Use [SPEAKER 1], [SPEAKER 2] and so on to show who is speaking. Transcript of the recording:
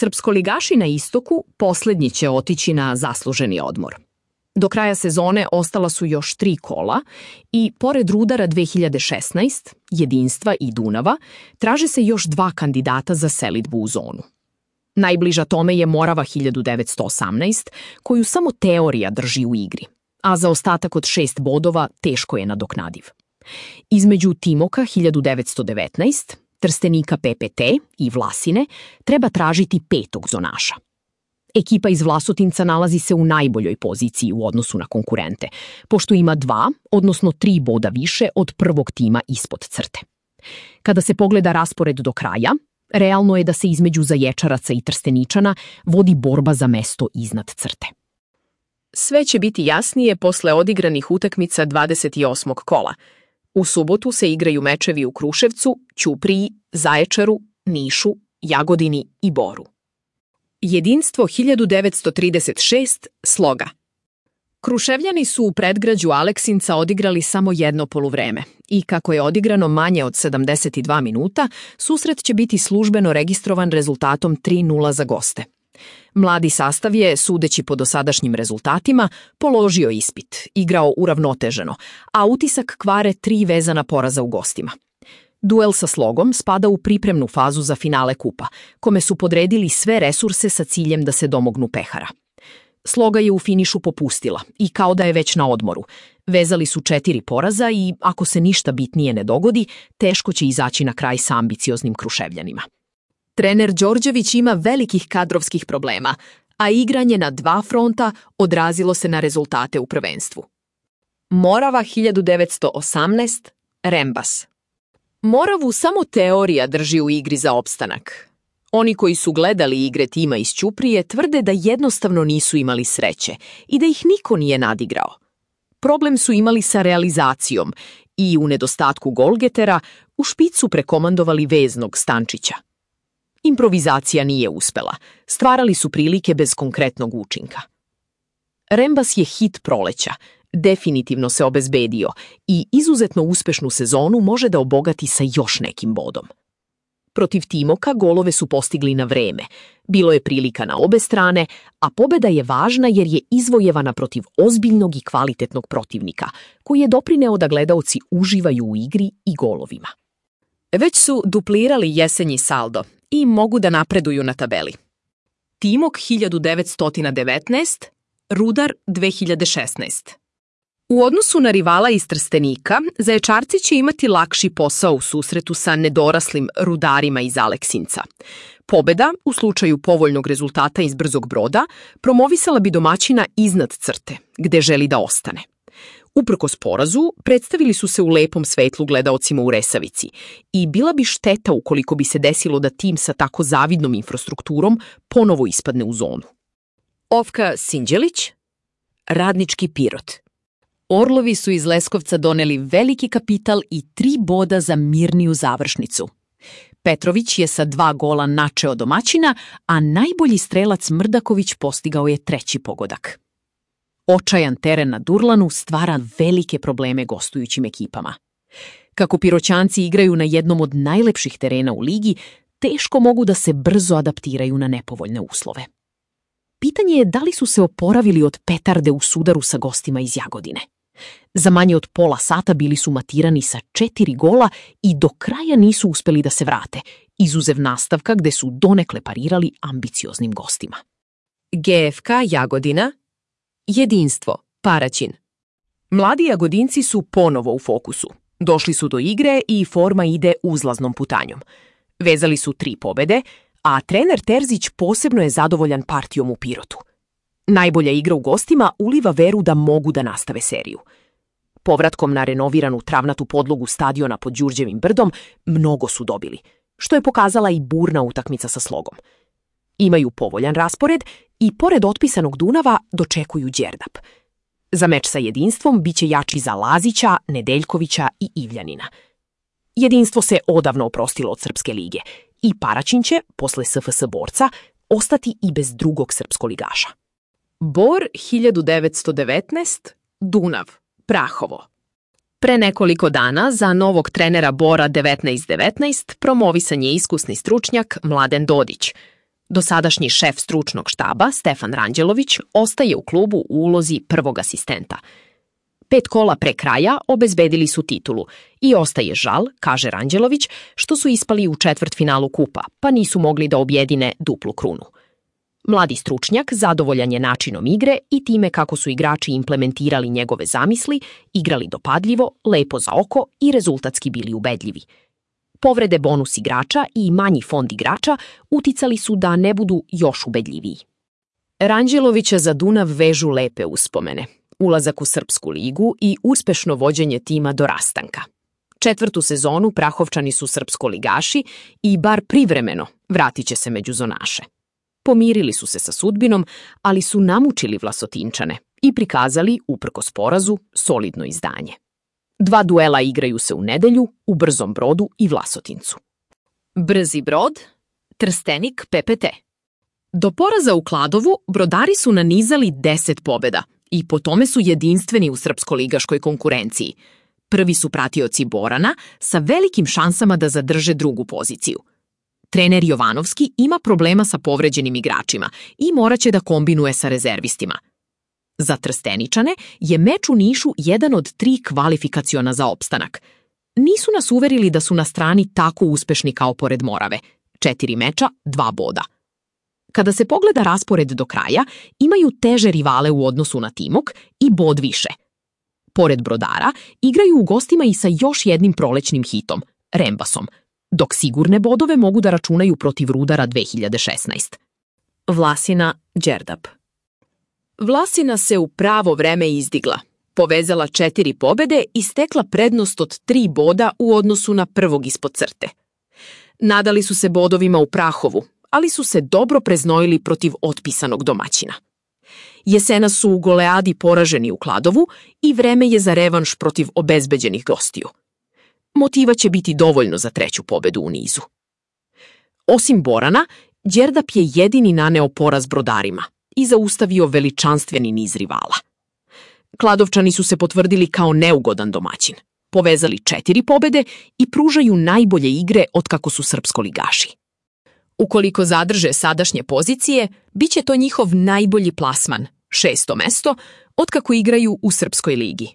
[SPEAKER 1] Srpskoligaši na istoku poslednji će otići na zasluženi odmor. Do kraja sezone ostala su još 3 kola i, pored Rudara 2016, Jedinstva i Dunava, traže se još 2 kandidata za selidbu u zonu. Najbliža tome je Morava 1918, koju samo teorija drži u igri, a za ostatak od 6 bodova teško je nadoknadiv. Između Timoka 1919, Trstenika PPT i Vlasine treba tražiti 5. zonaša. Ekipa iz Vlasotinca nalazi se u najboljoj poziciji u odnosu na konkurente, pošto ima 2, odnosno 3 boda više od prvog tima ispod crte. Kada se pogleda raspored do kraja, realno je da se između Zaječaraca i Trsteničana vodi borba za mesto iznad crte.
[SPEAKER 2] Sve će biti jasnije posle odigranih utakmica 28. kola. U subotu se igraju mečevi u Kruševcu, Ćupriji, Zaječaru, Nišu, Jagodini i Boru. Jedinstvo 1936, Sloga. Kruševljani su u predgrađu Aleksinca odigrali samo jedno poluvreme i kako je odigrano manje od 72 minuta, susret će biti službeno registrovan rezultatom 3:0 za goste. Mladi sastav je, sudeći po dosadašnjim rezultatima, položio ispit, igrao uravnoteženo, a utisak kvare 3 vezana poraza u gostima. Duel sa Slogom spada u pripremnu fazu za finale kupa, kome su podredili sve resurse sa ciljem da se domognu pehara. Sloga je u finišu popustila i kao da je već na odmoru. Vezali su 4 poraza i, ako se ništa bitnije ne dogodi, teško će izaći na kraj sa ambicioznim Kruševljanima. Trener Đorđević ima velikih kadrovskih problema, a igranje na 2 fronta odrazilo se na rezultate u prvenstvu. Morava 1918, Rembas. Moravu samo teorija drži u igri za opstanak. Oni koji su gledali igre tima iz Ćuprije tvrde da jednostavno nisu imali sreće i da ih niko nije nadigrao. Problem su imali sa realizacijom i, u nedostatku golgetera, u špicu prekomandovali veznog Stančića. Improvizacija nije uspela, stvarali su prilike bez konkretnog učinka. Rembas je hit proleća, definitivno se obezbedio i izuzetno uspešnu sezonu može da obogati sa još nekim bodom. Protiv Timoka golove su postigli na vreme, bilo je prilika na obe strane, a pobeda je važna jer je izvojevana protiv ozbiljnog i kvalitetnog protivnika, koji je doprineo da gledaoci uživaju u igri i golovima. Već su duplirali jesenji saldo i mogu da napreduju na tabeli. Timok 1919, Rudar 2016. U odnosu na rivala iz Trstenika, Zaječarci će imati lakši posao u susretu sa nedoraslim Rudarima iz Aleksinca. Pobeda, u slučaju povoljnog rezultata iz Brzog Broda, promovisala bi domaćina iznad crte, gde želi da ostane. Uprkos porazu, predstavili su se u lepom svetlu gledaocima u Resavici i bila bi šteta ukoliko bi se desilo da tim sa tako zavidnom infrastrukturom ponovo ispadne u zonu. Ofka Sinđelić, Radnički Pirot. Orlovi su iz Leskovca doneli veliki kapital i 3 boda za mirniju završnicu. Petrović je sa 2 gola načeo domaćina, a najbolji strelac Mrdaković postigao je 3. pogodak. Očajan teren na Durlanu stvara velike probleme gostujućim ekipama. Kako Piroćanci igraju na jednom od najlepših terena u ligi, teško mogu da se brzo adaptiraju na nepovoljne uslove. Pitanje je da li su se oporavili od petarde u sudaru sa gostima iz Jagodine. Za manje od pola sata bili su matirani sa 4 gola i do kraja nisu uspeli da se vrate, izuzev nastavka gde su donekle parirali ambicioznim gostima. GFK Jagodina, Jedinstvo, Paraćin. Mladi Jagodinci su ponovo u fokusu. Došli su do igre i forma ide uzlaznom putanjom. Vezali su 3 pobede, a trener Terzić posebno je zadovoljan partijom u Pirotu. Najbolja igra u gostima uliva veru da mogu da nastave seriju. Povratkom na renoviranu travnatu podlogu stadiona pod Đurđevim brdom mnogo su dobili, što je pokazala i burna utakmica sa Slogom. Imaju povoljan raspored i pored otpisanog Dunava dočekuju Đerdap. Za meč sa Jedinstvom biće jači za Lazića, Nedeljkovića i Ivljanina. Jedinstvo se odavno oprostilo od Srpske lige i Paraćin će, posle SFS borca, ostati i bez drugog srpskoligaša. Bor 1919, Dunav, Prahovo. Pre nekoliko dana za novog trenera Bora 1919 promovisan je iskusni stručnjak Mladen Dodić. Dosadašnji šef stručnog štaba, Stefan Ranđelović, ostaje u klubu u ulozi prvog asistenta. 5 kola pre kraja obezbedili su titulu i ostaje žal, kaže Ranđelović, što su ispali u četvrtfinalu kupa, pa nisu mogli da objedine duplu krunu. Mladi stručnjak zadovoljan je načinom igre i time kako su igrači implementirali njegove zamisli, igrali dopadljivo, lepo za oko i rezultatski bili ubedljivi. Povrede bonus igrača i manji fond igrača uticali su da ne budu još ubedljiviji. Ranđelovića za Dunav vežu lepe uspomene, ulazak u Srpsku ligu i uspešno vođenje tima do rastanka. 4. sezonu Prahovčani su srpskoligaši i bar privremeno vratit će se među zonaše. Pomirili su se sa sudbinom, ali su namučili Vlasotinčane i prikazali, uprkos porazu, solidno izdanje. 2 duela igraju se u nedelju u Brzom Brodu i Vlasotincu. Brzi Brod, Trstenik PPT. Do poraza u Kladovu brodari su nanizali 10 pobeda i po tome su jedinstveni u srpskoligaškoj konkurenciji. Prvi su pratioci Borana sa velikim šansama da zadrže drugu poziciju. Trener Jovanovski ima problema sa povređenim igračima i moraće da kombinuje sa rezervistima. Za Trsteničane je meč u Nišu jedan od 3 kvalifikaciona za opstanak. Nisu nas uverili da su na strani tako uspešni kao pored Morave. 4 meča, 2 boda. Kada se pogleda raspored do kraja, imaju teže rivale u odnosu na Timok i bod više. Pored Brodara, igraju u gostima i sa još jednim prolećnim hitom, Rembasom, dok sigurne bodove mogu da računaju protiv Rudara 2016. Vlasina Đerdap. Vlasina se u pravo vreme izdigla, povezala 4 pobede i stekla prednost od 3 boda u odnosu na prvog ispod crte. Nadali su se bodovima u Prahovu, ali su se dobro preznojili protiv otpisanog domaćina. Jesena su u goleadi poraženi u Kladovu i vreme je za revanš protiv obezbeđenih gostiju. Motiva će biti dovoljno za 3. pobedu u nizu. Osim Borana, Đerdap je jedini naneo poraz brodarima i zaustavio veličanstveni niz rivala. Kladovčani su se potvrdili kao neugodan domaćin, povezali 4 pobede i pružaju najbolje igre otkako su srpskoligaši. Ukoliko zadrže sadašnje pozicije, bit će to njihov najbolji plasman, 6. mesto, otkako igraju u Srpskoj ligi.